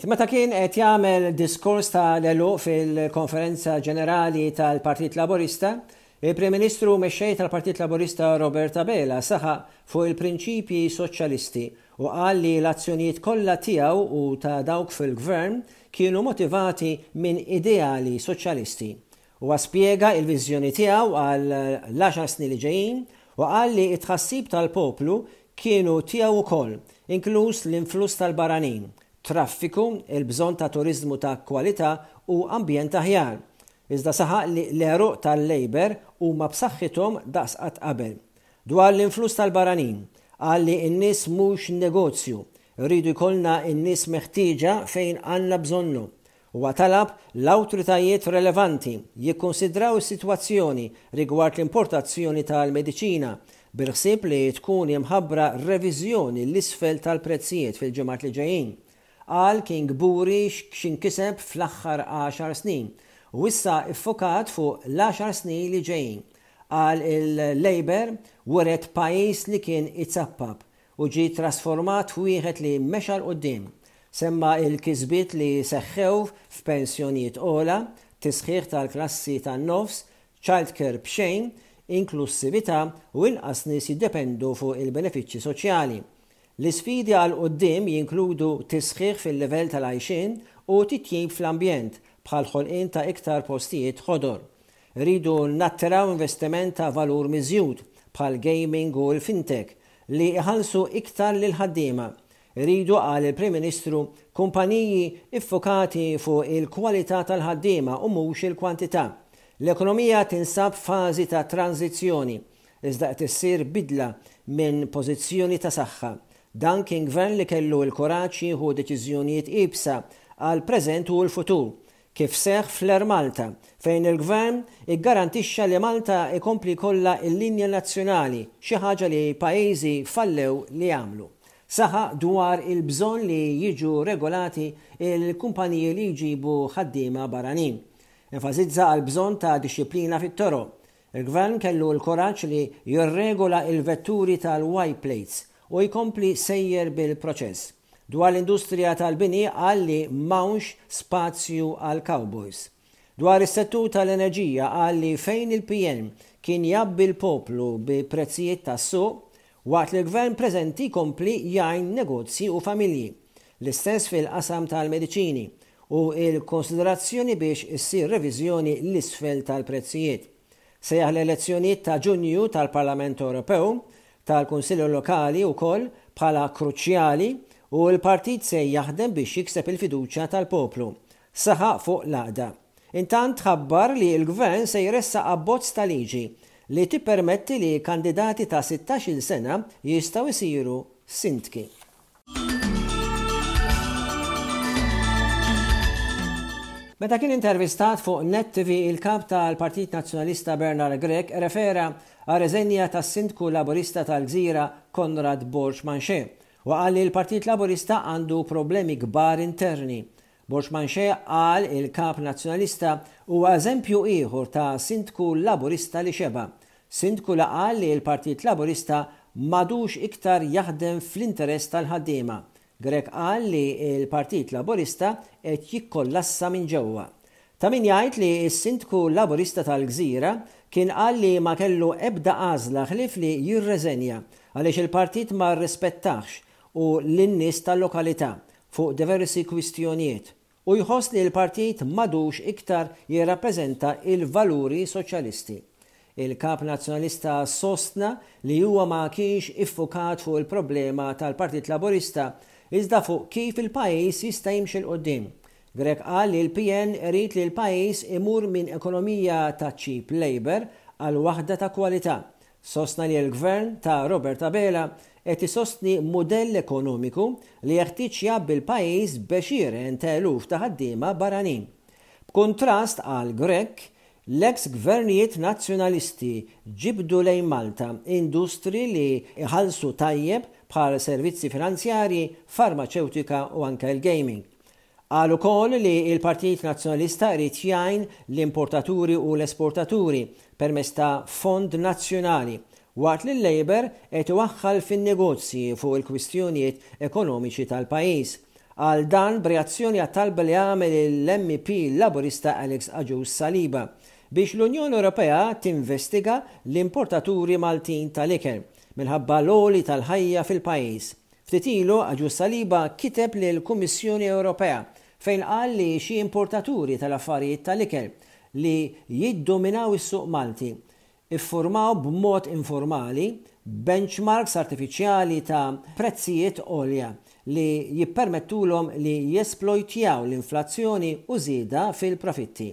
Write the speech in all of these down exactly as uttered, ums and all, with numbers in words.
Meta kien qed jagħmel diskors ta' l-għeluq fil-Konferenza Ġenerali tal-Partit Laburista, il-Prim Ministru mexxej tal-Partit Laburista Robert Abela saħaq fuq il-prinċipji soċjalisti u qal li l-azzjonijiet kollha tiegħu u ta' dawk fil-gvern kienu motivati minn ideali soċjalisti. Huwa spjega il-viżjoni tiegħu għal l-għaxar snin li ġejjin u qal li t-tħassib tal-poplu kienu tiegħu wkoll, inkluż l-influss tal-barranin, traffiku, il-bżonn ta' turiżmu ta' kwalità u ambjent aħjar. Iżda saħaq li l-għeruq tal-Labour huma b'saħħithom daqs qatt qabel. Dwar l-influss tal-barranin, qal li n-nies mhux negozju, rridu jkollna n-nies meħtieġa fejn għandna bżonnu. Huwa talab l-awtoritajiet relevanti jikkonsidraw is-sitwazzjoni rigward l-importazzjoni tal-mediċina bil-ħsieb li tkun imħabbra reviżjoni l-isfel tal-prezzijiet fil-ġimgħat li ġejjin. Qal kien kburi x'inkiseb fl-aħħar għaxar snin u issa iffokat fuq l-għaxar snin li ġejjin. Qal il-Labour wiret pajjiż li kien itzappap u ġi trasformat f'wieħed li mexa 'l quddiem. Semma il-kisbiet li seħħew f'pensjonijiet ogħla, tisħiħ tal-klassi tan-nofs, childcare b'xejn, inklusività u inqas nies jiddependu fuq il-benefiċċji soċjali. L-isfidi għal quddiem jinkludu tisħiħ fil-livell tal-għajxien u titjib fl-ambjent bħal ħolqien ta' iktar postijiet ħodor. Rridu nattiraw investiment ta' valur miżjud bħal gaming u l-fintech li iħallsu iktar lil ħaddiema. Rridu, qal il-Prim Ministru, kumpaniji iffokati fuq il-kwalità tal-ħaddiema u mhux il-kwantità. L-ekonomija tinsab fażi ta' tranzizzjoni, iżda qed issir bidla minn pożizzjoni ta' saħħa. Dan kien gvern li kellu l-kuraġġ jieħu deċiżjonijiet iebsa għal preżent u l-futur, kif seħ fl-Air Malta, fejn il-gvern iggarantixxa li Malta ikompli kollha il-linja nazzjonali, xi ħaġa li pajjiżi fallew li jagħmlu. Saħaq dwar il-bżonn li jiġu regolati il-kumpaniji li jġibu ħaddiema barranin. Enfasizza għal bżonn ta' dixxiplina fit-toroq. Il-gvern kellu l-kuraġġ li jirregola il-vetturi tal-Y plates u jkompli sejjer bil-proċess. Dwar l-industrija tal-bini qal li m'hawnx spazju għal cowboys. Dwar is-settur tal-enerġija qal li fejn il-P N kien jgħabbi l-poplu bi prezzijiet tas-suq, waqt li l-gvern preżenti kompli jgħin negozji u familji. L-istess fil-qasam tal-mediċini u il-konsiderazzjoni biex issir reviżjoni l-isfel tal-prezzijiet. Sejjaħ l-elezzjonijiet ta' Ġunju tal-Parlament Ewropew, tal-Kunsilli Lokali wkoll bħala kruċjali u l-partit se jaħdem biex jikseb il-fiduċja tal-poplu. Saħaq fuq l-għaqda. Intant ħabbar li l-gvern se jressaq abbozz ta' liġi li tippermetti li kandidati ta' sittax-il sena jistgħu jsiru sindki. Meta kien intervistat fuq Net T V, il-kap tal-Partit Nazzjonalista Bernard Grech refera għal reżenja tas-sindku Laburista tal-Gżira Conrad Borg Manché u qal li l-Partit Laburista għandu problemi kbar interni. Borg Manché qal il-kap Nazzjonalista huwa eżempju ieħor ta' sindku Laburista li xeba. Sindku li qal li l-Partit Laburista m'għadux iktar jaħdem fl-interess tal-ħaddiema. Grech qal li l-Partit Laburista qed jikkollassa minn ġewwa. Ta' min jgħid li s-sindku Laburista tal-Gżira kien qal li ma kellu ebda għażla ħlief li jirreżenja għaliex il-partit ma rrispettax u lin-nies tal-lokalità fuq diversi kwistjonijiet u jħoss li l-partit m'għadux iktar jirrappreżenta il-valuri soċjalisti. Il-kap nazzjonalista sostna li huwa ma kienx iffukat fuq il-problema tal-Partit Laburista iżda fuq kif il-pajjiż jista' jimxi 'l quddiem. Grech qal li l-P N irid li l-pajjiż imur minn ekonomija ta' cheap labor għal waħda ta' kwalità. Sostna li l-gvern ta' Robert Abela qed isostni mudell ekonomiku li jeħtieġ jgħabbi l-pajjiż b'għexieren ta' eluf ta' ħaddiema barranin. B'kuntrast għal Grech, l-ex gvernijiet nazzjonalisti ġibdu lejn Malta industri li iħallsu tajjeb bħal servizzi finanzjarji, farmaċewtika u anke l-gaming. Qal ukoll li l-Partit Nazzjonalista jrid jgħin l-importaturi u l-esportaturi permezz ta' fond nazzjonali, waqt li l-Labour qed iwaħħal fin-negozji fuq il-kwistjonijiet ekonomiċi tal-pajjiż. Qal dan b'reazzjoni għat-talba li għamel l-M E P Laburista Alex Agius Saliba biex l-Unjoni Ewropea tinvestiga l-importaturi Maltin tal-ikel minħabba l-għoli tal-ħajja fil-pajjiż. Ftit ilu Agius Saliba kiteb lill-Kummissjoni Ewropea fejn qal li xi importaturi tal-affarijiet tal-ikel li jiddominaw is-suq Malti iffurmaw b'mod informali benchmarks artifiċjali ta' prezzijiet għolja li jippermettulhom li jesplojtjaw l-inflazzjoni u żieda fil-profitti.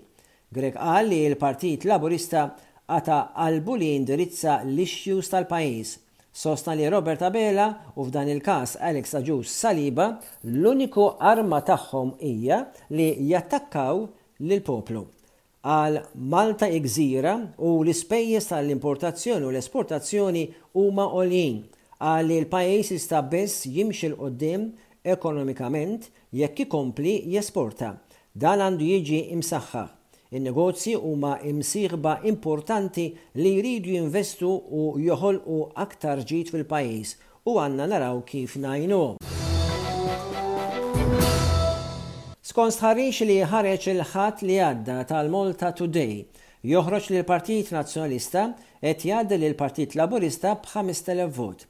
Grech qal li l-Partit Laburista qata' qalbu li jindirizza l-issues tal-pajjiż. Sostna li Robert Abela u f'dan il-każ Alex Agius Saliba l-uniku arma tagħhom hija li jattakkaw lill-poplu. Qal Malta gżira u l-ispejjeż tal-importazzjoni u l-esportazzjoni huma għoljin. Qal li l-pajjiż jista' biss jimxi 'l quddiem ekonomikament jekk ikompli jesporta. Dan għandu jiġi imsaħħaħ. In-negozji huma imsieħba importanti li jridu jinvestu u joħolqu aktar ġid fil-pajjiż u għandna naraw kif ngħinu. Skont stħarriġ li ħareġ il-Ħadd li għadda tal-Malta Today, joħroġ li l-Partit Nazzjonalista qed jgħaddi lil Partit Laburista b'ħamest elef vot.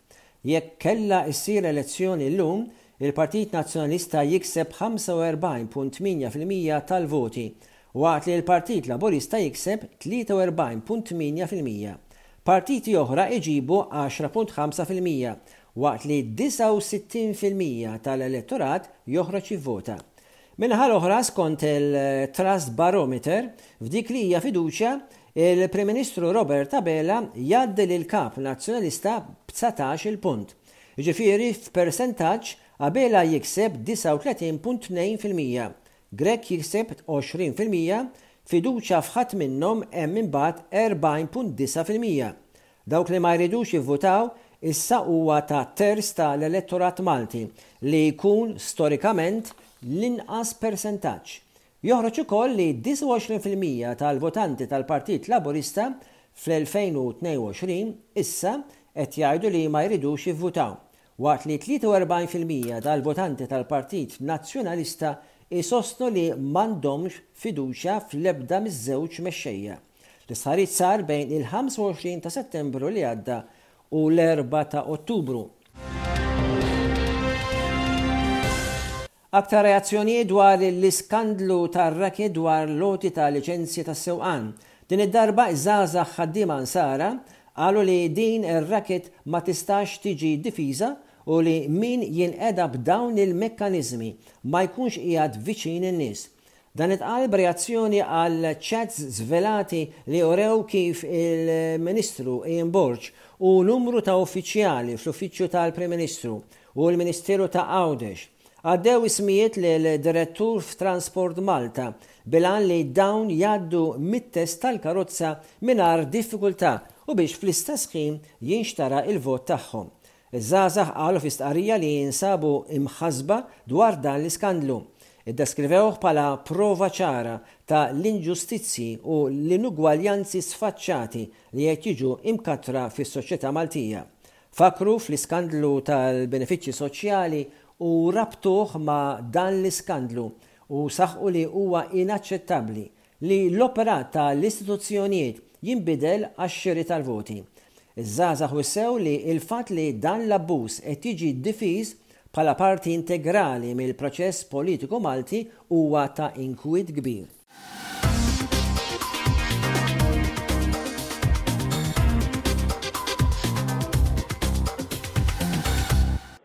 Jekk kellha issir elezzjoni llum, il-Partit Nazzjonalista jikseb ħamsa u erbgħin punt tmienja fil-mija tal-voti, waqt li l-Partit Laburista jikseb tlieta u erbgħin punt tmienja fil-mija. Partiti oħra iġibu għaxra punt ħamsa fil-mija, waqt li disgħa u sittin fil-mija tal-elettorat joħroġ jivvota. Min-naħa l-oħra, skont il-Trust Barometer, f'dik li hija fiduċja, il-Prim Ministru Robert Abela jgħaddi lil kap nazzjonalista b'dsatax il punt. Ġifieri f'persentaġġ Abela jikseb disgħa u tletin punt tnejn fil-mija, Grech jikseb għoxrin fil-mija, fiduċja f'ħadd minnhom hemm imbagħad erbgħin punt disgħa fil-mija. Dawk li ma jridux jivvutaw issa huwa ta' terz tal-elettorat Malti, li jkun storikament l-inqas persentaġġ. Joħroġ ukoll li disgħa u għoxrin fil-mija tal-votanti tal-Partit Laburista fl-elfejn u tnejn u għoxrin issa qed jgħidu li ma jridux jivvutaw, waqt li tlieta u erbgħin fil-mija tal-votanti tal-Partit Nazzjonalista isostnu li m'għandhomx fiduċja fl-ebda miż-żewġ mexxejja. L-istħarriġ sar bejn il-ħamsa u għoxrin ta' Settembru li għadda u l-erbgħa ta' Ottubru. Aktar reazzjonijiet dwar l-iskandlu tar-racket dwar l-għoti ta' liċenzji tas-sewqan. Din id-darba iż-żgħażagħ ħaddiema Nsara qalu li din ir-racket ma tistax tiġi difiża u li min jinqeda b'dawn il-mekkaniżmi ma jkunx qiegħed viċin in-nies. Dan intqal b'reazzjoni għal chats żvelati li urew kif il-Ministru Ian Borg u numru ta' uffiċjali fl-Uffiċċju tal-Prim Ministru u l-Ministeru ta' Għawdex għaddew ismijiet lil direttur f'Transport Malta bil-għan li dawn jgħaddu mit-test tal-karozza mingħajr diffikultà u biex fl-istess ħin jinxtara il-vot tagħhom. Iż-żgħażagħ qalu fi stqarrija li jinsabu imħasba dwar dan l-iskandlu. Iddeskrivewh bħala prova ċara ta' l-inġustizzi u l-inugwaljanzi sfaċċati li qed jiġu imkatra fis-soċjetà Maltija. Fakru fl-iskandlu tal-benefiċċji soċjali u rabtuh ma' dan l-iskandlu u saħqu li huwa inaċċettabbli li l-operat tal-istituzzjonijiet jinbidel għax-xiri tal-voti. Iż-żgħażagħ wissew li il-fatt li dan l-abbuż qed jiġi difiż bħala parti integrali mill-proċess politiku Malti huwa ta' inkwiet kbir.